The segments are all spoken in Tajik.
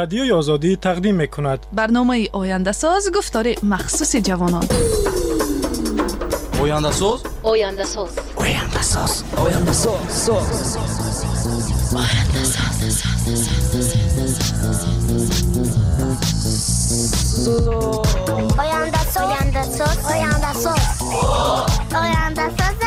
Радиои Озодӣ тақдим мекунад. Барномаи Ояндасоз, гуфтори махсуси ҷавонон. Ояндасоз, Ояндасоз, Ояндасоз, Ояндасоз, Ояндасоз, Ояндасоз, Ояндасоз, Ояндасоз.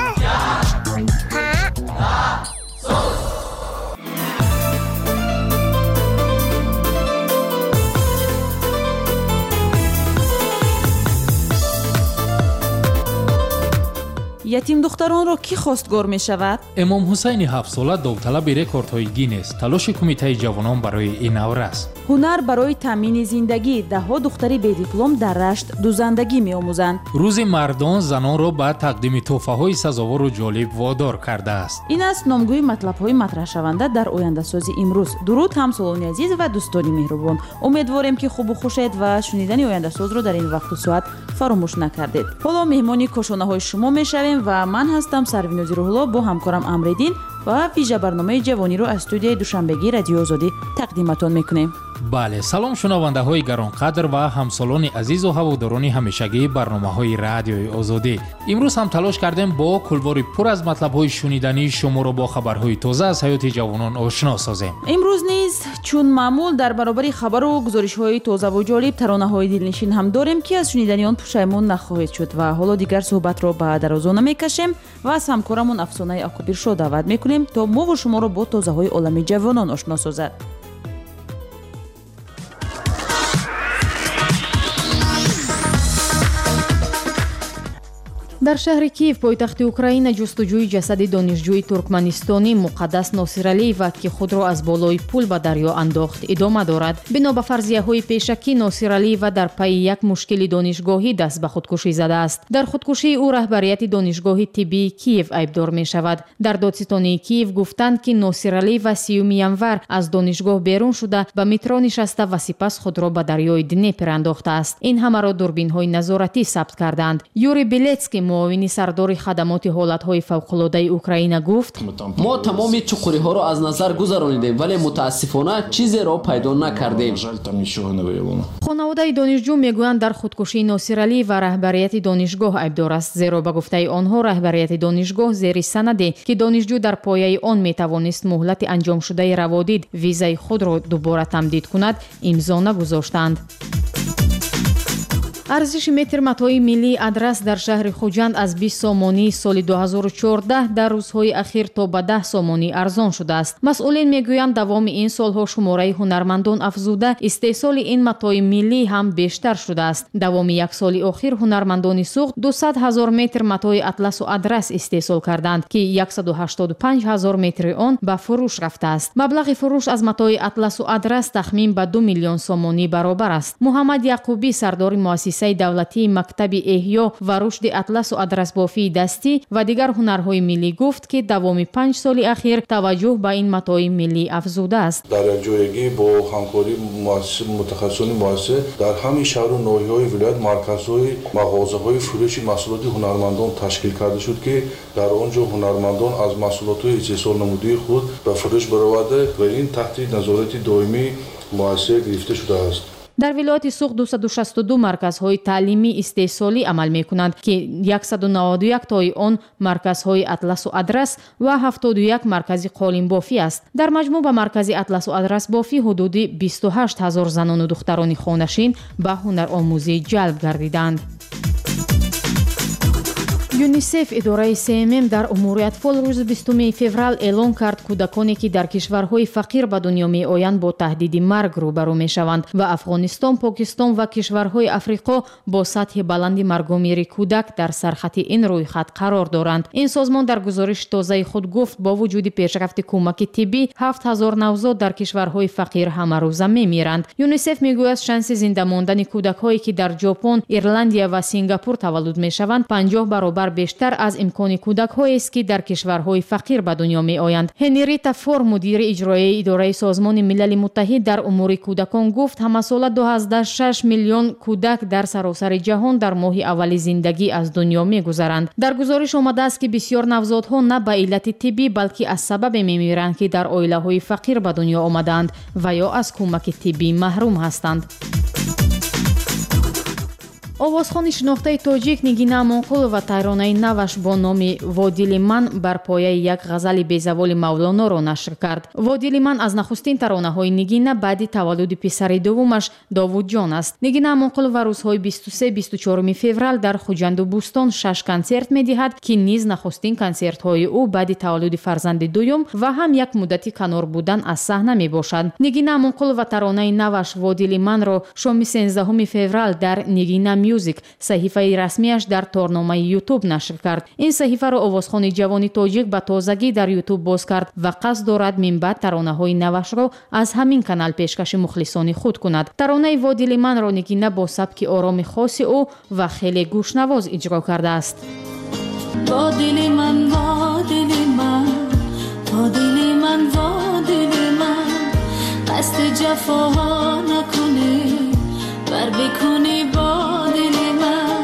Ятимдухтаронро кӣ хостгор мешавад? Эмом Ҳусайни ҳафтсола довталаби рекордҳои Гиннес. Талоши кумитаи ҷавонон барои ин наврас. Ҳунар барои таъмини зиндагӣ. Даҳҳо духтари бедиплом дар Рашт дузандагӣ меомӯзанд. Рӯзи мардон занонро ба тақдими тӯҳфаҳои сазовору ҷолиб водор кардааст. Ин аст номгӯи матлабҳои матраҳшаванда дар Ояндасози имрӯз. Дуруд, ҳамсолони азиз ва дӯстони меҳрубон. Умедворем, ки хубу хушед ва шунидани Ояндасозро дар ин вақту соат фаромӯш накардед. Ҳоло меҳмони кошонаҳои шумо мешавем ва ман ҳастам Сарвинози Рӯҳулло бо ҳамкорам Амриддин ва вижа барномаи ҷавониро аз студияи душанбегии Радиои Озодӣ тақдиматон мекунем. Бале, салом шунавандаҳои гаронқадр ва ҳамсолони азизу ҳаводорони ҳамешагии барномаҳои Радиои Озодӣ. Имрӯз ҳам талош кардем бо кулвори пур аз матлабҳои шунидании шуморо бо хабарҳои тоза аз ҳаёти ҷавонон ошно созем. Имрӯз низ чун маъмул дар баробари хабару гузоришҳои тозаву ҷолиб таронаҳои дилнишин ҳам дорем, ки аз шунидани он пушаймон нахоҳед шуд. Ва ҳоло дигар суҳбатро ба дарозо намекашем ва аз ҳамкорамон Афсонаи Акобиршо даъват мекунем, то мову шуморо бо тозаҳои олами ҷавонон ошно созад. Дар шаҳри Киев, пойтахти Украина, ҷустуҷӯи ҷасади донишҷӯи туркманистонӣ Муқаддас Носиралиева, ки худро аз болои пул ба дарё андохт, идома дорад. Бино ба фарзияҳои пешакӣ, Носиралиева дар пайи як мушкили донишгоҳӣ даст ба худкушӣ задааст. Дар худкушии ӯ раҳбарияти донишгоҳи тиббии Киев айбдор мешавад. Дар додситонии Киев гуфтанд, ки Носиралиева 30 январ аз донишгоҳ берун шуда, ба метро нишаста ва сипас худро ба дарёи Днепр андохтааст. Ин ҳамаро дурбинҳои назоратӣ сабт карданд. Юрий Белецкий, муовини сардори хадамоти ҳолатҳои фавқулодаи Украина, гуфт: мо тамоми чуқуриҳоро аз назар гузаронидем, вале мутаассифона чизеро пайдо накардем. Хонаводаи донишҷӯ мегӯянд, дар худкушии Носиралиева раҳбарияти донишгоҳ айбдор аст, зеро ба гуфтаи онҳо раҳбарияти донишгоҳ зери санаде, ки донишҷӯ дар пояи он метавонист муҳлати анҷомшудаи раводид визаи худро дубора тамдид кунад, имзо нагузоштанд. Арзиши метр матои миллии адрас дар шаҳри Хуҷанд аз 20 сомонии соли 2014 дар рӯзҳои ахир то ба 10 сомонӣ арзон шудааст. Масъулин мегӯянд, давоми ин солҳо шумораи ҳунармандон афзуда, истеҳсоли ин матои миллӣ ҳам бештар шудааст. Давоми як соли охир ҳунармандони Суғд 200 ҳазор метр матои атласу адрас истеҳсол карданд, ки 185 ҳазор метри он ба фурӯш рафтааст. Маблағи фурӯш аз матои атласу адрас тахмин ба 2 миллион сомонӣ баробар аст. Муҳаммад Яқубӣ, сардори муассисаи давлатии мактаби эҳё ва рушди атласу адрасбофии дастӣ ва дигар ҳунарҳои миллӣ, гуфт, ки давоми 5 соли ахир таваҷҷӯҳ ба ин матои миллӣ афзудааст. Дар якҷоягӣ бо ҳамкории мутахассисони муассиса дар ҳамаи шаҳру ноҳияҳои вилоят марказҳои мағозаҳои фурӯши маҳсулоти ҳунармандон ташкил карда шуд, ки дар он ҷо ҳунармандон аз маҳсулотҳои истеҳсолнамудии худ ба фурӯш бароварда ва ин таҳти назорати доимии муассиса гирифта шудааст. Дар вилояти Суғд 262 марказҳои таълимӣ истеҳсолӣ амал мекунанд, ки 191 тои он марказҳои атласу адрас ва 71 маркази қолинбофӣ аст. Дар маҷмӯъ ба маркази атласу адрасбофӣ ҳудуди 28 ҳазор занону духтарони хонашин ба ҳунаромӯзӣ ҷалб гардиданд. ЮНИСЕФ, идораи СММ дар умури атфол, рӯзи 20 феврал эълон кард, кӯдаконе, ки дар кишварҳои фақир ба дунё меоянд, бо таҳдиди марг рӯбарӯ мешаванд ва Афғонистон, Покистон ва кишварҳои Африқо бо сатҳи баланди маргумири кӯдак дар сархати ин рӯйхат қарор доранд. Ин созмон дар гузориши тозаи худ гуфт, бо вуҷуди пешрафти кӯмаки тиббӣ 7000 навзод дар кишварҳои фақир ҳамарӯза мемиранд. ЮНИСЕФ мегӯяд, шанси зинда мондани кӯдакҳое, ки дар Ҷопон, Ирландия ва Сингапур таваллуд мешаванд, 50 баробар бештар аз имкони кӯдакҳоест, ки дар кишварҳои фақир ба дунё меоянд. Ҳенрита Фор, мудири иҷроияи идораи Созмони Милали Муттаҳид дар умури кӯдакон гуфт, ҳамасола 26 миллион кӯдак дар саросари ҷаҳон дар моҳи аввали зиндагӣ аз дунё мегузаранд. Дар гузориш омадааст, ки бисёр навзодҳо на ба иллати тиббӣ, балки аз сабабе мемиранд, ки дар оилаҳои фақир ба дунё омадаанд ва ё аз кӯмаки тиббӣ маҳрум ҳастанд. Овозхони шинохтаи тоҷик Нигина Амонқулова таронаи наваш бо номи «Водили ман» бар пояи як ғазали безаволи Мавлоноро нашр кард. «Водили ман» аз нахустин таронаҳои Нигина баъди таваллуди писари дуввумаш Довудҷон аст. Нигина Амонқулова рӯзҳои 23-24 феврал дар Хуҷанду Бӯстон 6 консерт медиҳад, ки низ нахустин консертҳои ӯ баъди таваллуди фарзанди дуюм ва ҳам як муддати канор будан аз саҳна мебошад. Нигина Амонқулова таронаи наваш «Водили ман»-ро шоми 13 феврал дар Нигина Мюзик, саҳифаи расмиаш дар торномаи Ютуб нашр кард. Ин саҳифаро овозхони ҷавони тоҷик ба тозагӣ дар Ютуб боз кард ва қасд дорад минбаъд таронаҳои навашро аз ҳамин канал пешкаши мухлисони худ кунад. Таронаи «Водили ман»-ро Нигина бо сабки ороми хоси ӯ ва хеле гӯшнавоз иҷро кардааст. Водили ман, водили ман, водили ман, водили ман, қасди ҷафоҳо накунӣ, бар бикунӣ бо дили ман,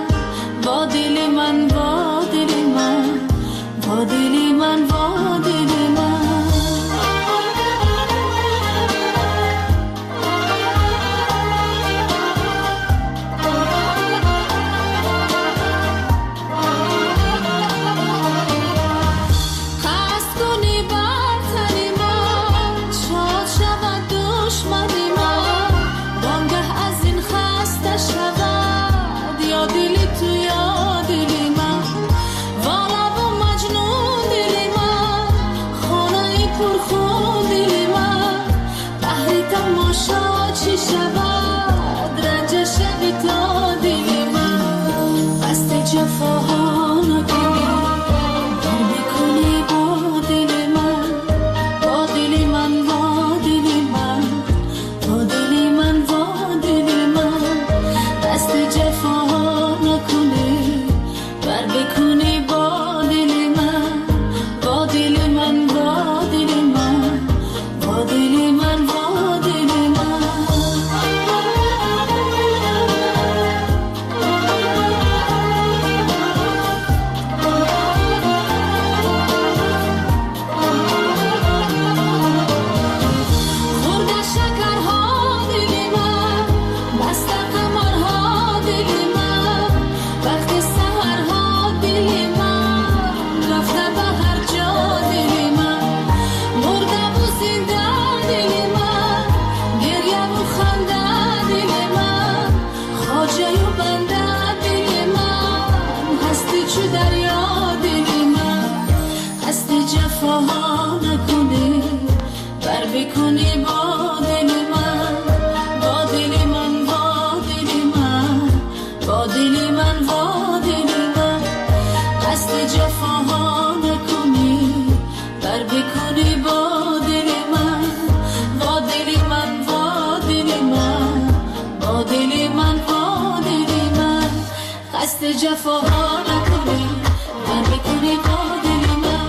водили ман, водили ман, водили ман, водили ман. Қасд кунӣ бар тани ман, шод шавад душмани ман, донгаҳ аз ин хаста шавад ё дили ту ё дили ман. Волаву маҷнун дили ман, хонаи пурхун дили ман, баҳри тамошо чӣ шавад, ранҷа шави то дили ман. Қасди ҷафоҳо накунӣ, бар бикунӣ бо дили ман, бо дили ман, бо дили ман, бо дили ман, бо дили ман. Қасди ҷафоҳо накунӣ, бар бикунӣ бо дили ман, бо дили ман, бо дили ман, бо дили ман, бо дили ман. Хӯрда шакарҳо дили ман, баста қамарҳо дили ман, вақти саҳарҳо дили ман, рафта ба ҳар ҷо дили ман, мурдаву зинда дили ман, гиряву ханда дили ман, хоҷаю банда дили ман, ҳасти чу дарё дили ман. Қасди ҷафоҳо накунӣ, бар бикунӣ бо дили ман, бо дили ман, бо дили ман, бо дили ман, бо дили ман. Қасди ҷафоҳо накунӣ, бар бикунӣ бо дили ман, бо дили ман, бо дили ман, бо дили ман, бо дили ман. Қасди ҷафоҳо накунӣ, бар бикунӣ бо дили ман.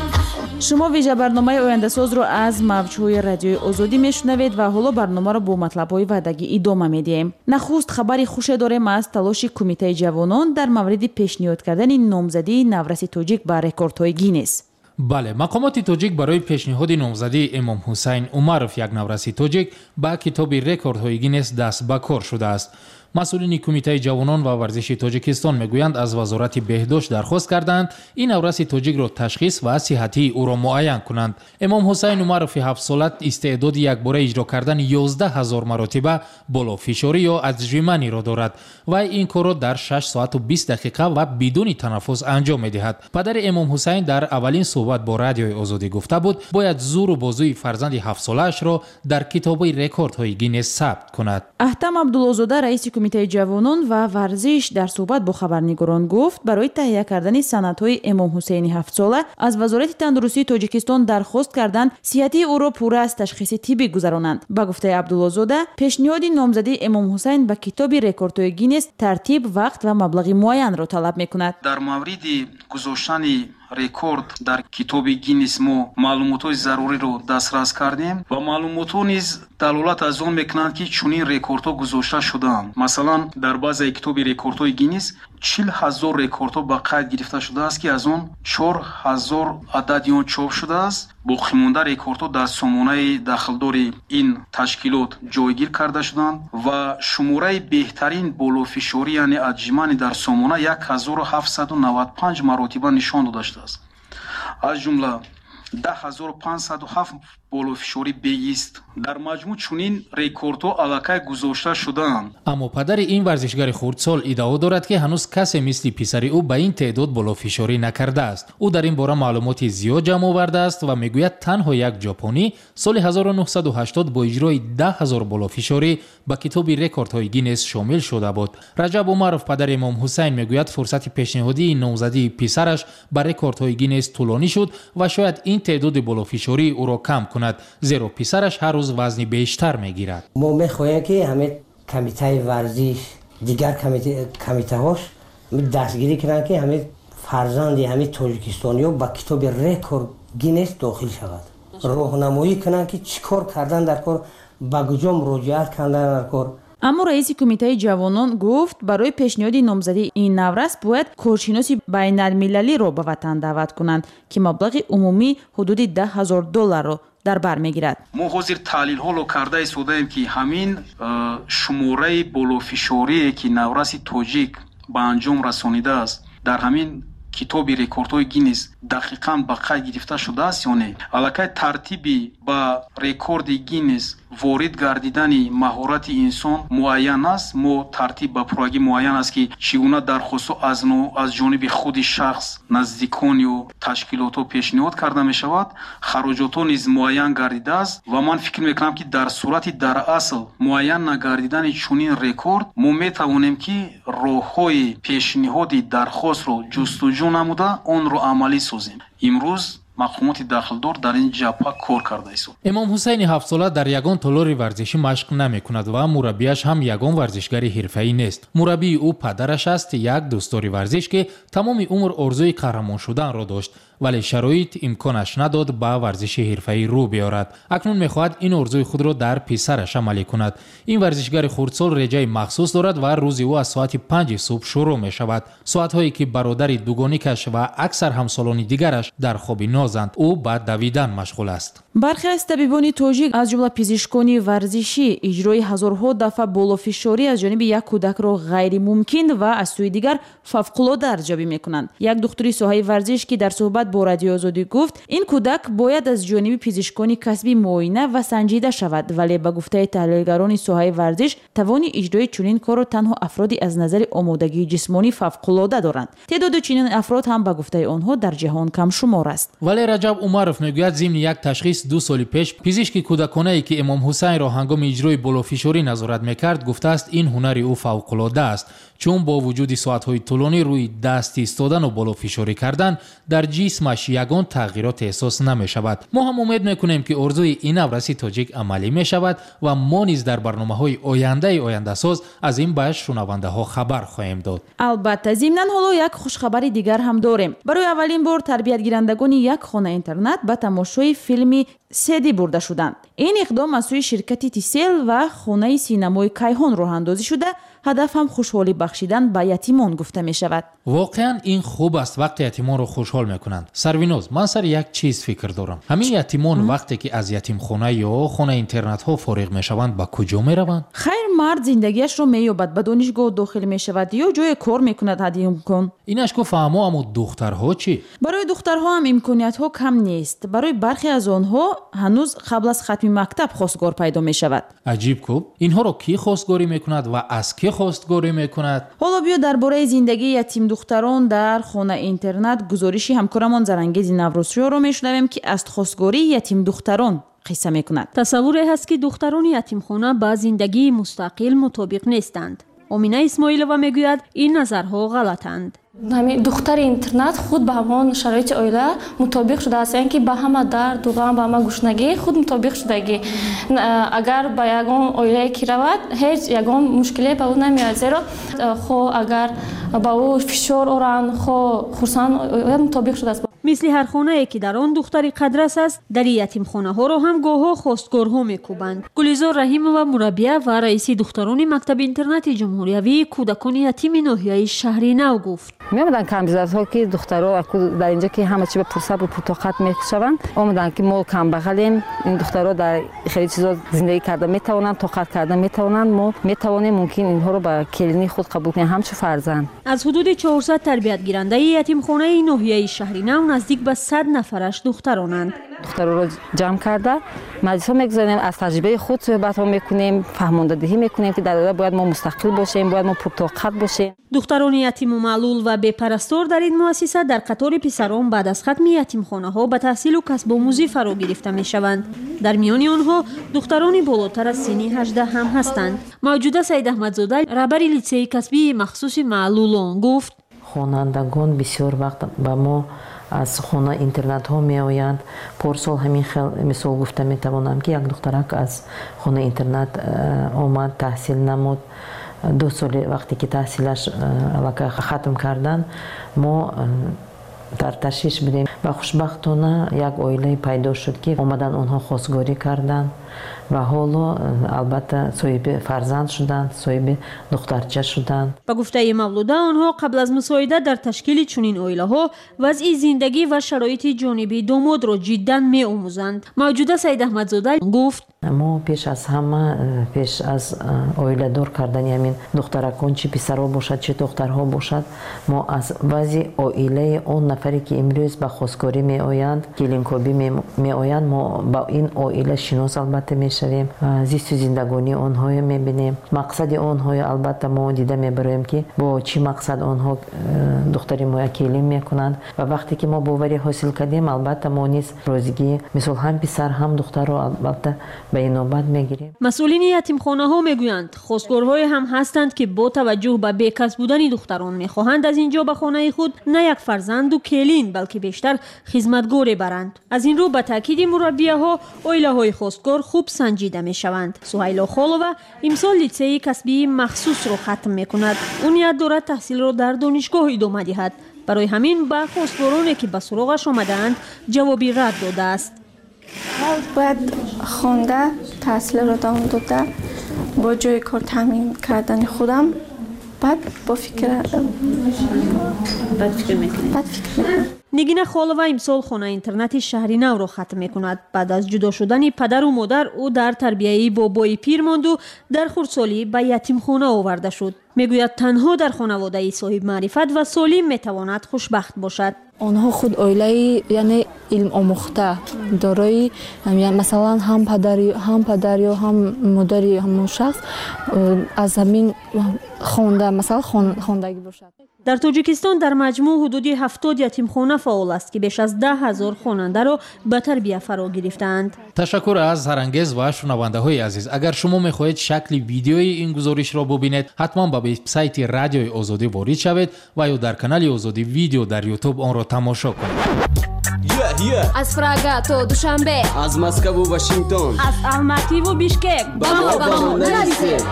Шумо вижабарномаи ояндасозро аз мавҷҳои радиои Озодӣ мешунавед ва ҳоло барномаро бо матлабҳои ваъдагӣ идома медиҳем. Нахуст хабари хуше дорем аз талоши Кумитаи ҷавонон дар мавриди пешниҳод кардани номзадии навраси тоҷик ба рекордҳои Гиннес. Бале, мақомоти тоҷик барои пешниҳоди номзадии Эмом Ҳусайн Умаров, як навраси тоҷик, ба китоби рекордҳои Гиннес даст ба кор шудааст. Масъулини Кумитаи ҷавонон ва варзиши Тоҷикистон мегӯянд, аз Вазорати беҳдошт дархост карданд ин навраси тоҷикро ташхис ва сиҳатии ӯро муайян кунанд. Эмом Ҳусайн Умарови ҳафтсола истеъдоди якбора иҷро кардани 11 ҳазор маротиба болофишорӣ ё отжиманиро дорад. Вай ин корро дар 6 соату 20 дақиқа ва бидуни танаффус анҷом медиҳад. Падари Эмом Ҳусайн дар аввалин суҳбат бо радиои Озодӣ гуфта буд, бояд зуру бозуи фарзанди ҳафтсолаашро дар китоби рекордҳои Гиннес сабт кунад. Аҳтам Абдуллозода, раиси Кумитаи ҷавонон ва варзиш дар суҳбат бо хабарнигорон гуфт, барои таҳия кардани санадҳои Эмом Ҳусейни ҳафтсола аз Вазорати тандурустии Тоҷикистон дархост карданд сиҳатии ӯро пурра аз ташхиси тиббӣ гузаронанд. Ба гуфтаи Абдуллозода, пешниҳоди номзадии Эмом Ҳусайн ба китоби рекордҳои Гиннес тартиб, вақт ва маблағи муайянро талаб мекунад. Дар мавриди гузоштани рекорд дар китоби Гиннес мо маълумотҳои заруриро дастрас кардем ва маълумотҳо низ далолат аз он мекунанд, ки чунин рекордҳо гузошта шудаанд. Масалан, дар баъзеи китоби рекордҳои Гиннес 40 000 рекордҳо ба қайд гирифта шудааст, ки аз он 4 000 адади он чоп шудааст. Боқимонда рекордҳо дар сомонаи дахлдори ин ташкилот ҷойгир карда шуданд ва шумораи беҳтарин болофишорӣ, яъне отжимание, дар сомона 1795 маротиба нишон дода шудааст. Аз ҷумла 10507 болофишорӣ беист. Дар маҷмӯъ чунин рекордҳо аллакай гузошта шудаанд. Аммо падари ин варзишгари хурдсол иддао дорад, ки ҳанӯз касе мисли писари ӯ ба ин теъдод болофишорӣ накардааст. Ӯ дар ин бора маълумоти зиёд ҷамъ овардааст ва мегӯяд, танҳо як ҷопонӣ соли 1980 бо иҷрои 10 000 болофишорӣ ба китоби рекордҳои Гиннес шомил шуда буд. Раҷаб Умаров, падари Эмом Ҳусайн, мегӯяд, фурсати пешниҳодии номзадии писараш ба рекордҳои Гиннес тӯлонӣ шуд ва шояд ин теъдоди болофишории ӯро кам кунад, зеро писараш ҳар рӯз вазни бештар мегирад. Мо мехоҳем, ки ҳамин комитаи варзиш, дигар комитаҳош дастгирӣ кунанд, ки ҳамин фарзанди ҳамин тоҷикистониё ба китоби рекорд Гиннес дохил шавад. Роҳнамоӣ кунанд, ки чӣ кор кардан дар кор, ба куҷо муроҷиат кардан дар кор. Аммо раиси кумитаи ҷавонон гуфт, барои пешниҳоди номзадии ин наврас бояд коршиноси байналмилалиро ба ватан даъват кунанд, ки маблағи умумӣ ҳудуди 10 000 долларро дар бар мегирад. Мо ҳозир таҳлилҳоро карда истодаем, ки ҳамин шумораи болофишорие, ки навраси тоҷик ба анҷом расонидааст, дар ҳамин китоби рекордҳои Гиннес дақиқан ба қайд гирифта шудааст ё не. Аллакай тартиби ба рекорди Гиннес ворид гардидани маҳорати инсон муайян аст. Мо тартиб ба пуррагӣ муайян аст, ки чӣ гуна дархостҳо аз ҷониби худи шахс, наздикон ё ташкилотҳо пешниҳод карда мешавад. Хароҷотҳо низ муайян гардидааст ва ман фикр мекунам, ки дар сурати дар асл муайян нагардидани чунин рекорд мо метавонем, ки роҳҳои пешниҳоди дархостро ҷустуҷӯ намуда онро амалӣ созем. Имрӯз мақомоти дахлдор дар ин ҷабҳа кор карда истод. Эмом Ҳусайни ҳафтсола дар ягон толори варзишӣ машқ намекунад ва мураббияш ҳам ягон варзишгари ҳирфаӣ нест. Мураббии ӯ падараш аст, як дӯстдори варзиш, ки тамоми умр орзуи қаҳрамон шуданро дошт, вале шароит имконаш надод ба варзиши ҳирфаӣ рӯ биёрад. Акнун мехоҳад ин орзуи худро дар писараш амалӣ кунад. Ин варзишгари хурдсол реҷаи махсус дорад ва рӯзи ӯ аз соати 5 субҳ шурӯъ мешавад. Соатҳое ки бародари дугоникаш ва аксар ҳамсолони дигараш дар хоби нозанд, ӯ ба давидан машғул аст. Бархе аз табибони тоҷик, аз ҷумла пизишкони варзишӣ, иҷрои ҳазорҳо дафъа болофишорӣ аз ҷониби як кӯдакро ғайримумкин ва аз сӯи дигар фавқулода арзёбӣ мекунанд. Як духтури соҳаи варзиш, ки дар суҳбат бо Радиои Озодӣ гуфт, ин кӯдак бояд аз ҷониби пизишкони касбӣ муоина ва санҷида шавад, вале ба гуфтаи таҳлилгарони соҳаи варзиш тавони иҷрои чунин корро танҳо афроди аз назари омодагии ҷисмонӣ фавқулода доранд. Теъдоди чунин афрод ҳам ба гуфтаи онҳо дар ҷаҳон камшумор аст. Вале Раҷаб Умаров мегӯяд, зимни як ташхис 2 соли пеш пизишки кӯдаконае, ки Эмом Ҳусайнро ҳангоми иҷрои болофишорӣ назорат мекард, гуфтааст, ин ҳунари ӯ фавқулода аст, чун бо вуҷуди соатҳои тӯлонӣ рӯи даст истодану болофишорӣ кардан дар ҷисмаш ягон тағйирот эҳсос намешавад. Мо ҳам умед мекунем, ки орзуи ин навраси тоҷик амалӣ мешавад ва мо низ дар барномаҳои ояндаи ояндасоз аз ин ба шунавандаҳо хабар хоҳем дод. Албатта, зимнан ҳоло як хушхабари дигар ҳам дорем. Барои аввалин бор тарбиятгирандагони як хона интернат ба тамошои филми седӣ бурда шуданд. Ин иқдом аз сӯи ширкати Тисел ва хонаи синамои Кайҳон роҳандозӣ шуда, ҳадаф ҳам хушҳолӣ бахшидан ба ятимон гуфта мешавад. Воқеан ин хуб аст, вақте ятимонро хушҳол мекунанд. Сарвиноз, ман сари як чиз фикр дорам. Ҳамин ятимон вақте ки аз ятимхона ё хонаи интернатҳо фориғ мешаванд, ба куҷо мераванд? Хайр, мард зиндагиашро меёбад, ба донишгоҳ дохил мешавад ё ҷое кор мекунад ҳадди имкон. Инаш ку фаҳмо, аммо духтарҳо чӣ? Барои духтарҳо ҳам имкониятҳо кам нест. Барои бархе аз онҳо ҳанӯз қабл аз хатми мактаб хостгор пайдо мешавад. Аҷиб ку, инҳоро кӣ хостгорӣ мекунад ва аз кӣ хостгорӣ мекунад? Ҳоло биё дар бораи зиндагии ятимдухтарон дар хона интернат гузориши ҳамкорамон Зарангези Наврӯзшоҳро мешунавем, ки аз хостгории ятимдухтарон қисса мекунад. Тасаввуре ҳаст, ки духтарони ятимхона ба зиндагии мустақил мутобиқ нестанд. Омина Исмоилова мегӯяд, ин назарҳо ғалатанд. Духтари интернат худ ба ҳамон шароити оила мутобиқ шудааст, яъне ки ба ҳама дарду ғам, ба ҳама гушнагӣ худ мутобиқ шудагӣ. Агар ба ягон оилае ки равад, ҳеҷ ягон мушкиле ба ӯ намеояд, зеро хо агар ба ӯ фишор оранд, хо хурсанд, мутобиқ шудааст. Мисли ҳар хонае ки дар он духтари қадрас аст, дари ятимхонаҳоро ҳам гоҳҳо хостгорҳо мекӯбанд. Гулизор Раҳимова мураббия ва раиси духтарони мактаби интернати ҷумҳуриявии кӯдакони ятими ноҳияи Шаҳри Нав гуфт: меомаданд камбизоатҳо, ки духтаро дар инҷо ки ҳама чи ба пурсабру пуртоқат мешаванд, омаданд ки мо камбағалем, ин духтаро дар хеле чизо зиндагӣ карда метавонанд, тоқат карда метавонанд, мо метавонем мумкин инҳоро ба келини худ қабул кунем ҳамчун фарзанд. Аз ҳудуди 400 тарбиятгирандаи ятимхонаи ноҳияи Шаҳри Нав наздик ба 100 нафараш духтаронанд. Духтароро ҷамъ карда маҷлисҳо мегузорем, аз таҷрибаи худ суҳбатҳо мекунем, фаҳмондадиҳӣ мекунем, ки дар оила бояд мо мустақил бошем, бояд мо пуртоқат бошем. Духтарони ятиму маълул ва бепарастор дар ин муассиса дар қатори писарон баъд аз хатми ятимхонаҳо ба таҳсилу касбомӯзӣ фаро гирифта мешаванд. Дар миёни онҳо духтарони болотар аз синни 18 ҳам ҳастанд. Мавҷуда Саидаҳмадзода, раҳбари литсеи касбии махсуси маълулон, гуфт: хонандагон бисёр вақт ба мо аз хона интернатҳо меоянд. Порсол ҳамин хел мисол гуфта метавонам, ки як духтарак аз хона интернат омад, таҳсил намуд. 2 соли вақте ки таҳсилаш аллакай хатм кардан, мо дар ташвиш будем ва хушбахтона як оилае пайдо шуд, ки омадан онҳо хостгорӣ карданд ва ҳоло албатта соҳиби фарзанд шуданд, соҳиби духтарча шуданд. Ба гуфтаи Мавлуда, онҳо қабл аз мусоидат дар ташкили чунин оилаҳо вазъи зиндагӣ ва шароити ҷонибии домодро ҷиддан меомӯзанд. Мавҷуда Саидаҳмадзода гуфт: мо пеш аз ҳама, пеш аз оиладор кардани ҳамин духтаракон, чи писарҳо бошад, чи духтарҳо бошад, мо аз вазъи оилаи он нафаре ки имрӯз ба хостгорӣ меоянд, келинкобӣ меоянд, мо ба ин оила шинос албатта мешавем, зисту зиндагонии онҳоро мебинем, мақсади онҳоро албатта мо дида мебароем, ки бо чӣ мақсад онҳо духтари моя келин мекунанд. Ва вақте ки мо боварӣ ҳосил кардем, албатта мо низ розигӣ мисол ҳам писар ҳам духтарро албатта ба инобат мегирем. Масъулини ятимхонаҳо мегӯянд, хостгорҳое ҳам ҳастанд, ки бо таваҷҷӯҳ ба бекас будани духтарон мехоҳанд аз ин ҷо ба хонаи худ на як фарзанду келин, балки бештар хизматгоре баранд. Аз ин рӯ ба таъкиди мураббияҳо оилаҳои хостгор хуб санҷида мешаванд. Суҳайло Холова имсол литсеи касбии махсусро хатм мекунад. Ӯ ният дорад таҳсилро дар донишгоҳ идома диҳад. Барои ҳамин ба хостгороне ки ба суроғаш омадаанд ҷавоби рад додааст. Бояд хонда, таҳсилро давом дода, бо ҷои кор таъмин кардани худам, баъд бо фикр мекунам. Нигина Холова имсол хонаи интернати Шаҳри Навро хатм мекунад. Баъд аз ҷудо шудани падару модар ӯ дар тарбияи бобои пир монду дар хурдсолӣ ба ятимхона оварда шуд. Мегӯяд, танҳо дар хонаводаи соҳибмаърифат ва солим метавонад хушбахт бошад. Онҳо худ оилаи, яъне илмомӯхта дорои, масалан, ҳам падар ё ҳам модари ҳамон шахс аз ҳамин хонда, масалан, хондагӣ бошад. Дар Тоҷикистон дар маҷмӯъ ҳудуди 70 ятимхона фаъол аст, ки беш аз 10 000 хонандаро ба тарбия фаро гирифтаанд. Ташаккур аз Ҳарангез ва шунавандаҳои азиз. Агар шумо мехоҳед шакли видеои ин гузоришро бубинед, ҳатман ба вебсайти Радиои Озодӣ ворид шавед ва ё дар канали Озодӣ видео дар Ютуб онро тамошо кунед. Аз Прага то Душанбе, аз Москву Вашингтон, аз Алмативу Бишкек ба мо нависед.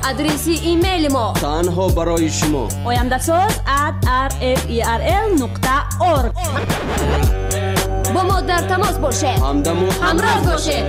Адреси имейли мо танҳо барои шумо: oyandасоз@rferl.org. Бо мо дар тамос бошед, ҳамдаму ҳамроз бошед.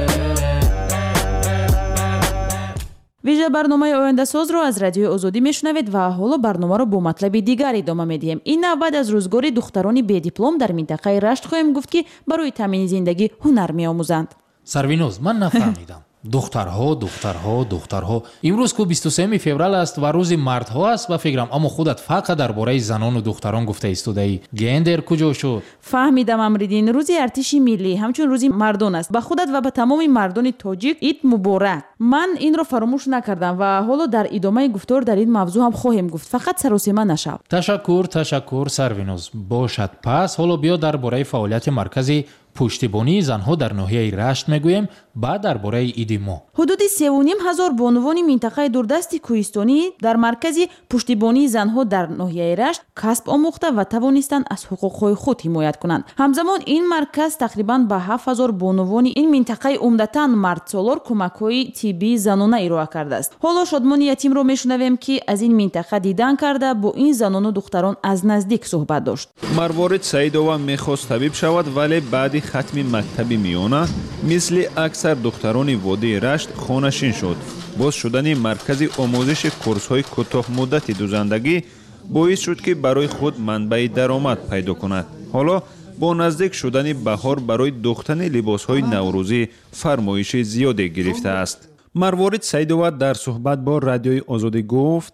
Вижа барномаи ояндасозро аз Радиои Озодӣ мешунавед ва ҳоло барномаро бо матлаби дигар идома медиҳем. Ин навбат аз рӯзгори духтарони бедиплом дар минтақаи Рашт хоҳем гуфт, ки барои таъмини зиндагӣ ҳунар меомӯзанд. Сарвиноз, ман нафаҳмидам. Духтарҳо, духтарҳо, духтарҳо. Имрӯз ку 23 феврал аст ва рӯзи мардҳо аст ба фикрам, аммо худат фақат дар бораи занону духтарон гуфта истодаӣ. Гендер куҷо шуд? Фаҳмидам, Амриддин, рӯзи артиши миллӣ ҳамчун рӯзи мардон аст. Ба худат ва ба тамоми мардони тоҷик ид муборак. Ман инро фаромӯш накардам ва ҳоло дар идомаи гуфтор дар ин мавзӯъ ҳам хоҳем гуфт. Фақат саросема нашав. Ташаккур, ташаккур, Сарвиноз. Бошад, пас ҳоло биё дар бораи фаъолияти маркази Пуштибонии занҳо дар ноҳияи Рашт мегӯем, баъд дар бораи иди мо. Ҳудуди 3500 бонувони минтақаи дурдасти кӯҳистонӣ дар маркази пуштибонии занҳо дар ноҳияи Рашт касб омӯхта ва тавонистанд аз ҳуқуқҳои худ ҳимоят кунанд. Ҳамзамон ин марказ тақрибан ба 7000 бонувони ин минтақаи умдатан мардсолор кӯмакҳои тиббии занона ироа кардааст. Ҳоло Шодмони Ятимро мешунавем, ки аз ин минтақа дидан карда, бо ин занону духтарон аз наздик суҳбат дошт. Марворид Саидова мехост табиб шавад, вале баъди хатми мактаби миёна мисли аксар духтарони водии Рашт хонашин шуд. Боз шудани маркази омӯзиши курсҳои кӯтоҳмуддати дузандагӣ боис шуд, ки барои худ манбаи даромад пайдо кунад. Ҳоло бо наздик шудани баҳор барои духтани либосҳои наврӯзӣ фармоиши зиёде гирифтааст. Марворид Саидова дар суҳбат бо Радиои Озодӣ гуфт: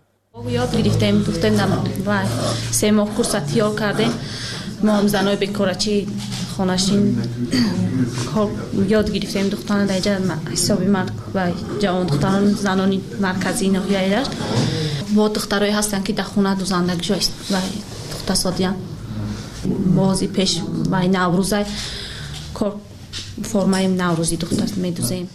Ёд гирифтем, духтем ва 3 моҳ курса тиёр кардем. Мо ҳам занои бекорачи хонашин ёд гирифтем духтарона дар инҷа ҳисоби ва ҷавон духтарон занони марказии ноҳияи Рашт. Бо духтарое ҳастанд, ки дар хона дузандагишо ва духтасодиянд. Бози пеш ва наврӯзай кор формаи наврӯзӣ духта медузем.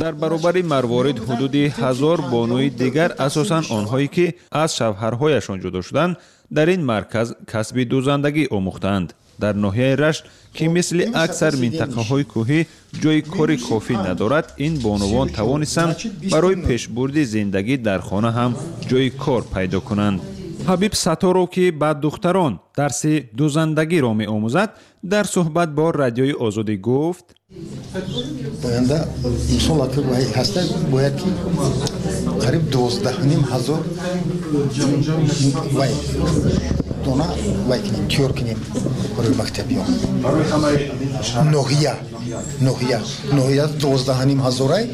Дар баробари Марворид ҳудуди 1000 бонуи дигар, асосан онҳое ки аз шавҳарҳояшон ҷудо шуданд, дар ин марказ касби дузандагӣ омӯхтаанд. Дар ноҳияи Рашт, ки мисли аксар минтақаҳои кӯҳӣ ҷои кори кофӣ надорад, ин бонувон тавонистанд барои пешбурди зиндагӣ дар хона ҳам ҷои кор пайдо кунанд. Ҳабиб Сатторов, ки ба духтарон дарси дузандагиро меомӯзад, дар суҳбат бо Радиои Озодӣ гуфт: Оянда мисол ҳаста бояд ки қариб 12 500 вай дона вай кунем, тиёр кунем барои мактабиён. Ноҳия 12 500-ай.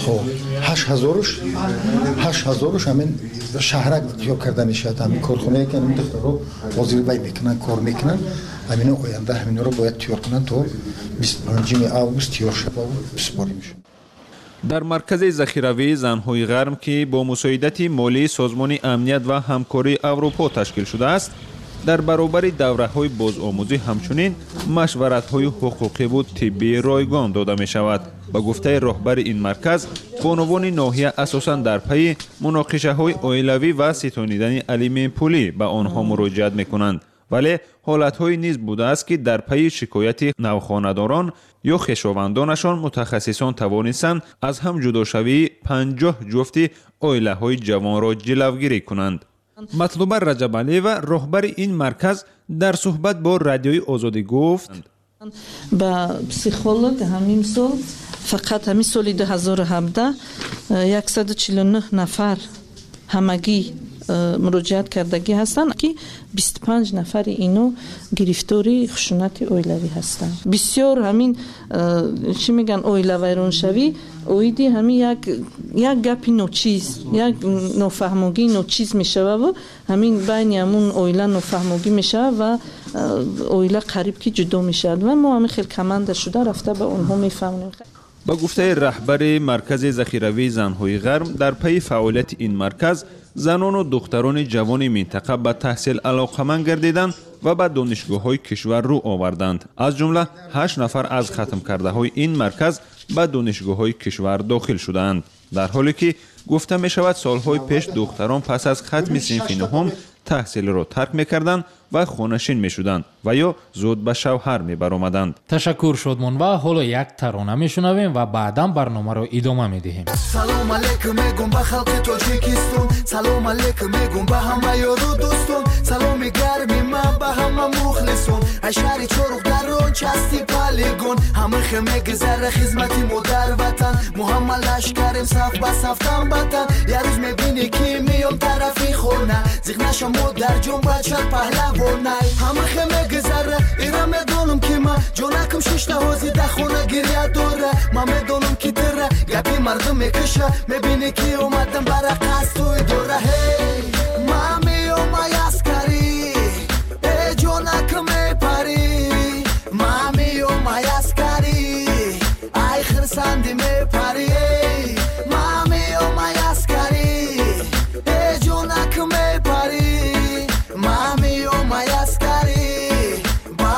Хоб, 8000-уш, 8000-уш ҳамин шаҳрак тиёр карда мешавад. Ҳамин корхонае ки ҳамин духтаро ҳозир вай мекунанд, кор мекунанд, ҳамино оянда ҳаминро бояд тиёр кунанд, то 25-уми август тиёр шавад, супорим. Дар маркази захиравии занҳои ғарм, ки бо мусоидати молии Созмони амният ва ҳамкории Аврупо ташкил шудааст, дар баробари давраҳои бозомӯзӣ ҳамчунин машваратҳои ҳуқуқиву тиббии ройгон дода мешавад. Ба гуфтаи роҳбари ин марказ, бонувони ноҳия асосан дар пайи муноқишаҳои оилавӣ ва ситонидани алиментпулӣ ба онҳо муроҷиат мекунанд, вале ҳолатҳое низ будааст, ки дар пайи шикояти навхонадорон ё хешовандонашон мутахассисон тавонистанд аз ҳам ҷудошавии 50 ҷуфти оилаҳои ҷавонро ҷилавгирӣ кунанд. Матлуба Раҷабалиева, роҳбари ин марказ, дар суҳбат бо Радиои Озодӣ гуфт: Ба психолог ҳамин сол, фақат ҳамин соли 2017, 149 нафар ҳамагӣ муроҷиат кардагӣ ҳастанд, ки 25 нафари ино гирифтори хушунати оилавӣ ҳастанд. Бисёр ҳамин чӣ мегӯянд, оилавайроншавӣ оиди ҳамин як гапи ночиз, як нофаҳмогии ночиз мешававу ҳамин байни ҳамун оила нофаҳмогӣ мешавад ва оила қариб ки ҷудо мешавад ва мо ҳамин хел команда шуда рафта ба онҳо мефаҳмонем. Ба гуфтаи раҳбари маркази захиравии занҳои ғарм, дар пайи фаъолияти ин марказ занону духтарони ҷавони минтақа ба таҳсил алоқаманд гардиданд ва ба донишгоҳҳои кишвар рӯ оварданд. Аз ҷумла ҳашт нафар аз хатмкардаҳои ин марказ ба донишгоҳҳои кишвар дохил шудаанд, дар ҳоле ки гуфта мешавад, солҳои пеш духтарон пас аз хатми синфи нуҳум таҳсилро тарк мекарданд ва хонашин мешуданд ва ё зуд ба шавҳар мебаромаданд. Ташаккур, Шодмон, ва ҳоло як тарона мешунавем ва баъдан барномаро идома медиҳем. Салом алейкум мегум ба халқи Тоҷикистон, салом алейкум мегум ба ҳама ёру дӯстон, саломи гарми ман ба ҳама мухлисон. Ай шаҳри Чорух дар он части полигон, ҳамахе мегузара хизмати модар ватан. Мо ҳама лашкарем, саф ба саф, тан ба тан. Як рӯз мебинӣ, ки меём тарафи хона, зиқ наша, модарҷон, бача паҳлавонай. Ҳамахе мегузара, ира медонам, ки ман ҷонакам шишта ҳози да хона гиря дора. Ман медонам, ки тира гапи мардум мекуша, мебинӣ, ки омадам бара қасдуи дора. Ҳей, ман меём, ай аскарӣ, э ҷонакам мепарӣ, ман меём, ай аскарӣ, ай хирсанди мепарӣ, ман меём, ай аскарӣ, э ҷонакам мепарӣ, ман меём, ай аскарӣ, ба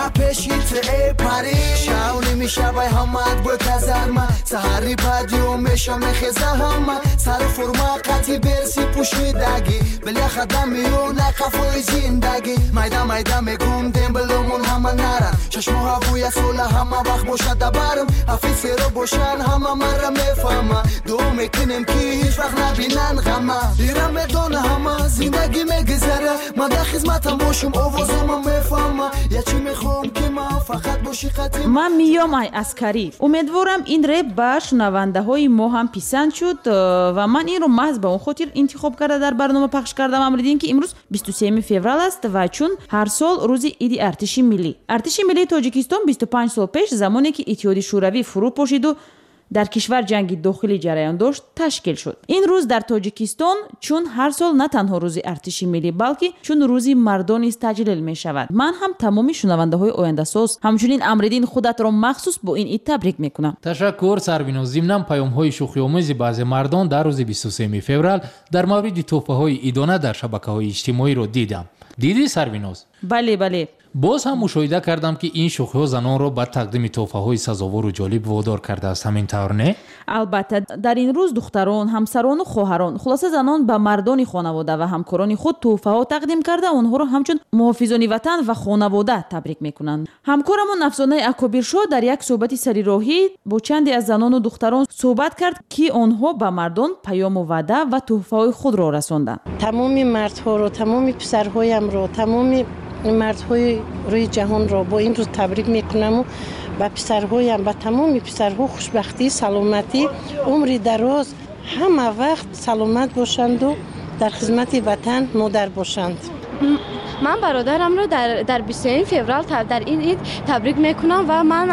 Шабай ҳамаат бо казарма, саҳари падиё меша мехеза ҳама. Сари форма қати берси пӯшидагӣ, бляха дамиё на қафои зиндагӣ. Майда майда мегум дембеломон ҳама наран, чашмо ҳавоя сола ҳама вақт бошада барм. Офисеро бошан ҳама мара мефаҳма, дуо мекунем ки ҳеҷ вақт набинан ғама. Ира медона ҳама зиндагӣ мегузара, ман дар хизматам бошум овозома мефаҳма. Я чӣ мехоҳам ки ман фақат боши қати Ман миём ай аскарӣ. Умедворам, ин реп ба шунавандаҳои мо ҳам писанд шуд ва ман инро маҳз ба он хотир интихоб карда дар барнома пахш кардам, Амриддин, ки имрӯз 23 феврал аст ва чун ҳар сол рӯзи иди артиши миллӣ. Артиши миллии Тоҷикистон 25 сол пеш, замоне ки Иттиҳоди Шӯравӣ фурӯ пошиду дар кишвар ҷанги дохилӣ ҷараён дошт, ташкил шуд. Ин рӯз дар Тоҷикистон чун ҳар сол на танҳо рӯзи артиши миллӣ, балки чун рӯзи мардон низ таҷлил мешавад. Ман ҳам тамоми шунавандаҳои ояндасоз, ҳамчунин Амриддин худатро махсус бо ин ид табрик мекунам. Ташаккур, Сарвиноз. Зимнан паёмҳои шӯхиомези баъзе мардон дар рӯзи 23 феврал дар мавриди тӯҳфаҳои идона дар шабакаҳои иҷтимоиро дидам. Дидӣ, Сарвиноз? Бале, бале. Боз ҳам мушоҳида кардам, ки ин шӯхиҳо занонро ба тақдими тӯҳфаҳои сазовору ҷолиб водор кардааст. Ҳамин тавр, не? Албатта, дар ин рӯз духтарон, ҳамсарону хоҳарон, хулоса занон ба мардони хонавода ва ҳамкорони худ тӯҳфаҳо тақдим карда, онҳоро ҳамчун муҳофизони ватан ва хонавода табрик мекунанд. Ҳамкорамон Афзонаи Акобиршо дар як суҳбати сарироҳӣ бо чанде аз занону духтарон суҳбат кард, ки онҳо ба мардон паёму ваъда ва тӯҳфаҳои худро расонданд. Тамоми мардҳоро, тамоми писарҳоямро, тамоми мардҳои рӯи ҷаҳонро бо ин рӯз табрик мекунаму ба писарҳоям, ба тамоми писарҳо хушбахтӣ, саломатӣ, умри дароз, ҳама вақт саломат бошанду дар хизмати ватан модар бошанд. Ман бародарамро дар 23 феврал дар ин ид табрик мекунам ва ман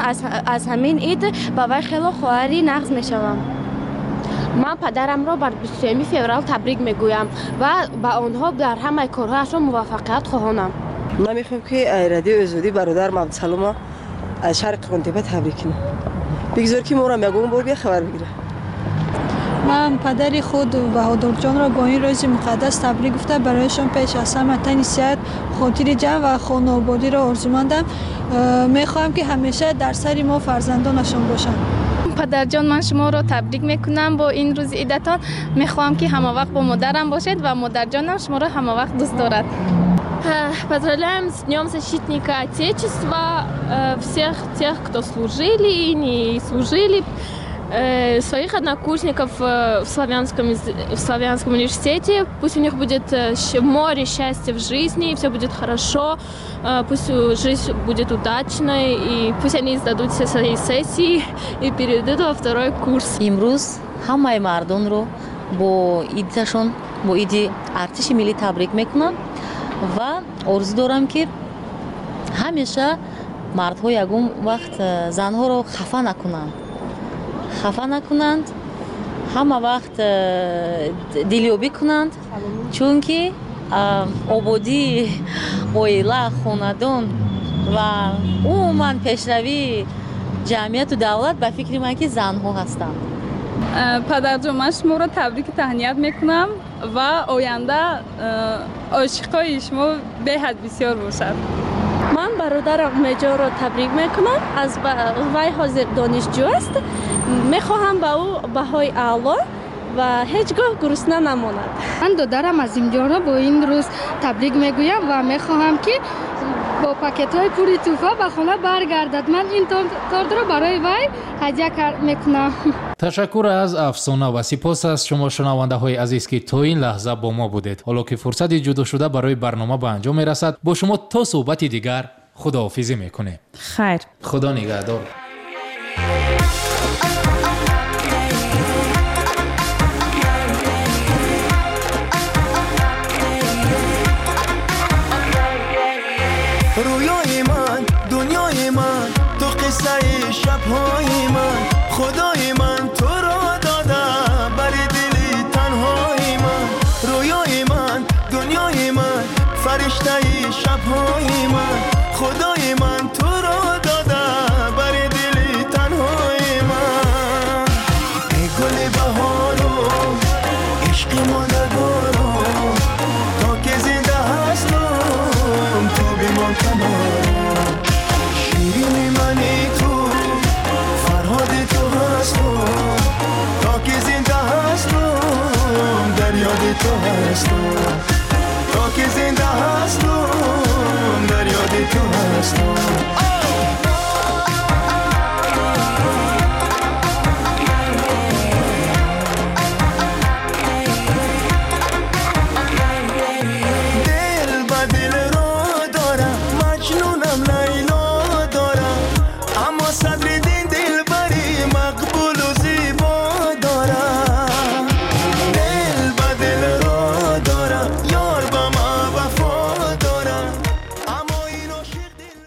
аз ҳамин ид ба вай хело хоҳари нағз мешавам. Ман падарамро бар 23 феврал табрик мегӯям ва ба онҳо дар ҳамаи корҳояшон муваффақият хоҳонам. Ман мехоҳам ки Радиои Озодӣ бародарам Абдусалома аз шаҳри Қӯрғонтеппа табрик кунам. Бигзор ки моро ягон бор бехабар бигирад. Ман падари худ Баҳодурҷонро бо ин рӯзи муқаддас табрик гуфта, барояшон пеш аз ҳама тани сиҳат, хотири ҷамъ ва хонаободиро орзумандам. Мехоҳам ки ҳамеша дар сари мо фарзандонашон бошанд. Падарҷон, ман шуморо табрик мекунам бо ин рӯзи идатон. Мехоҳам ки ҳамавақт бо модарам бошед ва модарҷонам шуморо ҳамавақт дӯст дорад. Поздравляем с Днем Защитника Отечества всех тех, кто служили и не служили, своих однокурсников в Славянском университете. Пусть у них будет море счастья в жизни, все будет хорошо, пусть жизнь будет удачной, и пусть они сдадут все свои сессии и перейдут во второй курс. Имрӯз ҳамаи мардонро бо идашон, бо иди артиши миллӣ табрик мекунам ва орзу дорам, ки ҳамеша мардҳо ягон вақт занҳоро хафа накунанд, хафа накунанд, ҳама вақт дилёбӣ кунанд, чунки ободии оила, хонадон ва умуман пешравии ҷамъияту давлат ба фикри ман ки занҳо ҳастанд. Падарҷон, ман шуморо табрику таҳният мекунам ва оянда ошиқҳои шумо беҳад бисёр бошад. Ман бародарам Меҷорро табрик мекунам. Аз вай ҳозир донишҷӯ аст. Мехоҳам ба ӯ баҳои аъло ва ҳеҷ гоҳ гурусна намонад. Ман додарам Азимҷонро бо ин рӯз табрик мегӯям ва мехоҳам, ки бо пакетҳои пури тӯҳфа ба хона баргардад. Ман ин тортро барои вай ҳадя мекунам. Ташаккур аз Афсона ва сипос аз шумо, шунавандаҳои азиз, ки то ин лаҳза бо мо будед. Ҳоло ки фурсати ҷудошуда барои барнома ба анҷом мерасад, бо шумо то суҳбати дигар худоҳофизӣ мекунем. Хайр. Худо нигаҳдор. Рӯёи ман, дунёи ман, ту қиссаи шабҳои ман. Худои ман туро дода бари дили танҳои ман. Рӯёи ман, дунёи ман, фариштаи шабҳои ман. Худои ман туро дода бари дили танҳои ман. Эй гули баҳорум, ишқи мондагорум, то ки зинда ҳастам, ту бимон канорам. Ширини мани ту. ҳастам, то ки зинда ҳастам, дар ёди ту ҳастам.